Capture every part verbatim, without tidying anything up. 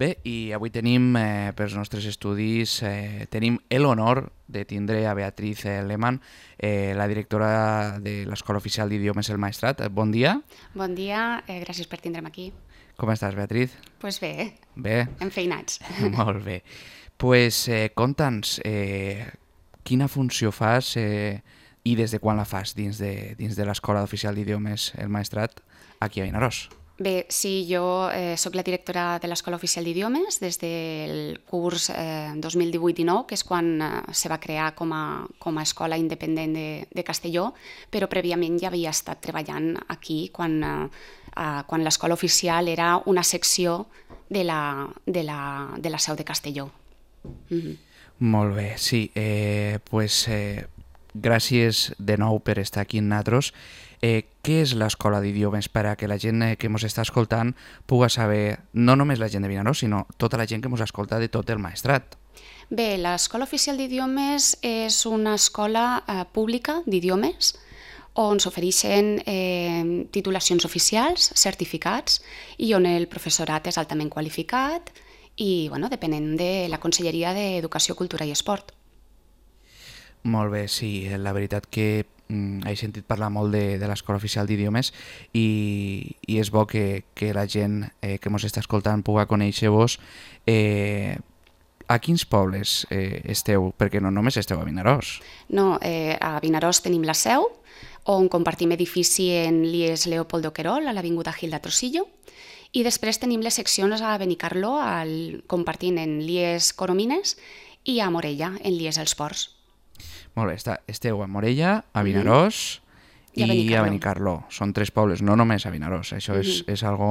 Bé, i avui tenim, eh, pels nostres estudis, eh, tenim l'honor de tindre a Beatriz eh, Lehmann, eh, la directora de l'Escola Oficial d'Idiomes El Maestrat. Bon dia. Bon dia, eh, gràcies per tindre'm aquí. Com estàs, Beatriz? Doncs pues bé, Bé. enfeinats. Molt bé. Pues, eh, conta'ns, eh, quina funció fas eh, i des de quan la fas dins de, dins de l'Escola Oficial d'Idiomes El Maestrat aquí a Vinaròs? Bé, sí, jo eh, sóc la directora de l'Escola Oficial d'Idiomes des del curs eh, dos mil divuit dinou, que és quan eh, se va crear com a, com a escola independent de, de Castelló, però prèviament ja havia estat treballant aquí quan, eh, eh, quan l'escola oficial era una secció de la, de la, de la seu de Castelló. Mm-hmm. Molt bé, sí. Eh, pues, eh, gràcies de nou per estar aquí amb nosaltres. Eh, què és l'Escola d'Idiomes per a que la gent eh, que ens està escoltant puga saber, no només la gent de Vinaròs, sinó tota la gent que ens escolta de tot el Maestrat? Bé, l'Escola Oficial d'Idiomes és una escola eh, pública d'idiomes on s'ofereixen eh, titulacions oficials, certificats, i on el professorat és altament qualificat i, bueno, depenent de la Conselleria d'Educació, Cultura i Esport. Molt bé, sí, la veritat que mm, he sentit parlar molt de, de l'Escola Oficial d'Idiomes i, i és bo que, que la gent eh, que ens està escoltant puga conèixer-vos. Eh, a quins pobles eh, esteu? Perquè no només esteu a Vinaròs. No, eh, a Vinaròs tenim la seu, on compartim edifici en l'I E S Leopoldo Querol, a l'Avinguda Gil de Trujillo, i després tenim les seccions a Benicarló, al, compartint en l'I E S Coromines, i a Morella, en l'I E S Els Ports. Molt bé, està, esteu a Morella, a Vinaròs mm-hmm. i, I a Benicarló. a Benicarló. Són tres pobles, no només a Vinaròs. Això mm-hmm. és, és algo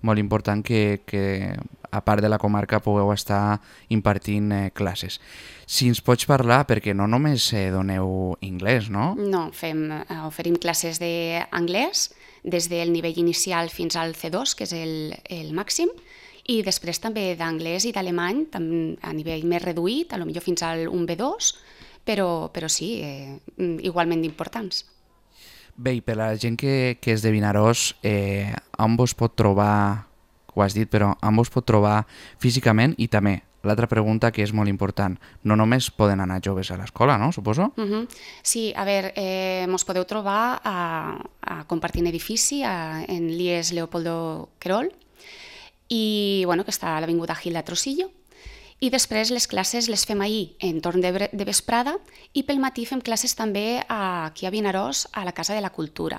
molt important que, que, a part de la comarca, pugueu estar impartint eh, classes. Si ens pots parlar, perquè no només eh, doneu anglès, no? No, fem, eh, oferim classes d'anglès des del nivell inicial fins al C dos, que és el, el màxim, i després també d'anglès i d'alemany a nivell més reduït, a lo millor fins al un B dos, però, però sí, eh, igualment importants. Bé, i per a la gent que, que és de Vinaròs, eh, on vos pot trobar, ho has dit, però on vos pot trobar físicament? I també, l'altra pregunta que és molt important, no només poden anar joves a l'escola, no? Suposo? Uh-huh. Sí, a veure, eh, mos podeu trobar a, a compartint edifici a, en l'I E S Leopoldo Querol, i, bueno, que està a l'Avinguda Gil de Trujillo. I després les classes les fem ahir en torn de, de vesprada i pel matí fem classes també aquí a Vinaròs, a la Casa de la Cultura.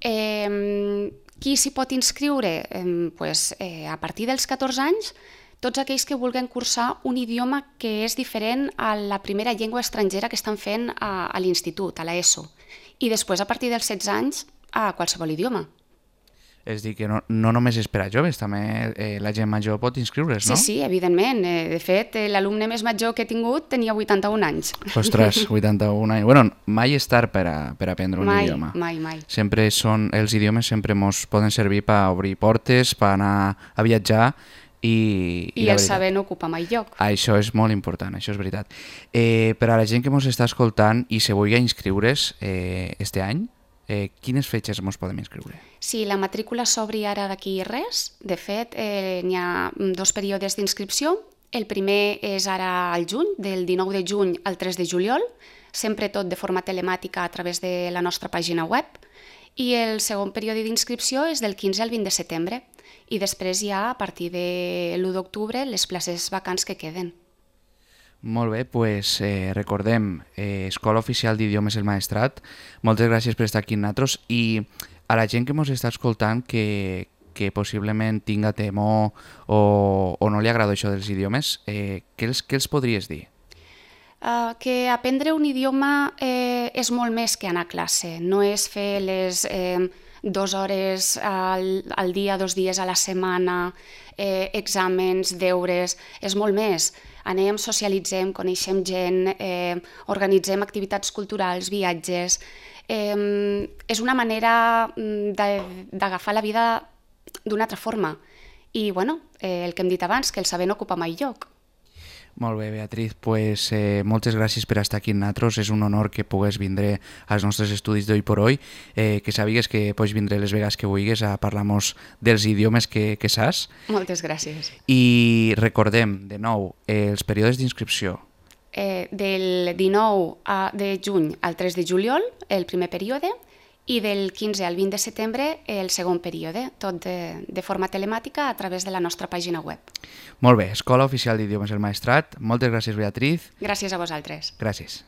Eh, qui s'hi pot inscriure? Eh, pues, eh, a partir dels catorze anys, tots aquells que vulguin cursar un idioma que és diferent a la primera llengua estrangera que estan fent a, a l'institut, a l'ESO. I després, a partir dels setze anys, a qualsevol idioma. És dir, que no, no només és per a joves, també eh, la gent major pot inscriure's, no? Sí, sí, evidentment. Eh, de fet, eh, l'alumne més major que he tingut tenia vuitanta-un anys. Ostres, vuitanta-un anys. Bueno, mai és tard per, a, per aprendre un mai, idioma. Mai, mai, Sempre són, els idiomes sempre ens poden servir per obrir portes, per anar a viatjar i... I, I el saber no ocupa mai lloc. Això és molt important, això és veritat. Eh, per a la gent que ens està escoltant i se vulgui inscriure's eh, este any, Eh, quines fetges ens podem inscriure? Sí, la matrícula s'obri ara d'aquí res. De fet, eh, n'hi ha dos períodes d'inscripció. El primer és ara al juny, del dinou de juny al tres de juliol, sempre tot de forma telemàtica a través de la nostra pàgina web. I el segon període d'inscripció és del quinze al vint de setembre. I després ja, a partir de l'u d'octubre, les places vacants que queden. Molt bé, doncs eh, recordem, eh, Escola Oficial d'Idiomes El Maestrat, moltes gràcies per estar aquí amb nosaltres i a la gent que ens està escoltant que, que possiblement tinga temor o, o no li agrada això dels idiomes, eh, què, els, què els podries dir? Uh, que aprendre un idioma eh, és molt més que anar a classe, no és fer les eh, dues hores al, al dia, dos dies a la setmana, eh, exàmens, deures, és molt més. Anem, socialitzem, coneixem gent, eh, organitzem activitats culturals, viatges. Eh, és una manera d'agafar la vida d'una altra forma. I, bueno, eh, el que hem dit abans, que el saber no ocupa mai lloc. Molt bé, Beatriz, pues, eh, moltes gràcies per estar aquí amb nosaltres. És un honor que pugues vindre als nostres estudis d'Hoy por Hoy, eh, que sàpigues que pots vindre les vegades que vulguis a parlar-nos dels idiomes que, que saps. Moltes gràcies. I recordem, de nou, eh, els períodes d'inscripció. Eh, del dinou de juny al tres de juliol, el primer període, i del quinze al vint de setembre el segon període, tot de, de forma telemàtica a través de la nostra pàgina web. Molt bé, Escola Oficial d'Idiomes El Maestrat. Moltes gràcies, Beatriz. Gràcies a vosaltres. Gràcies.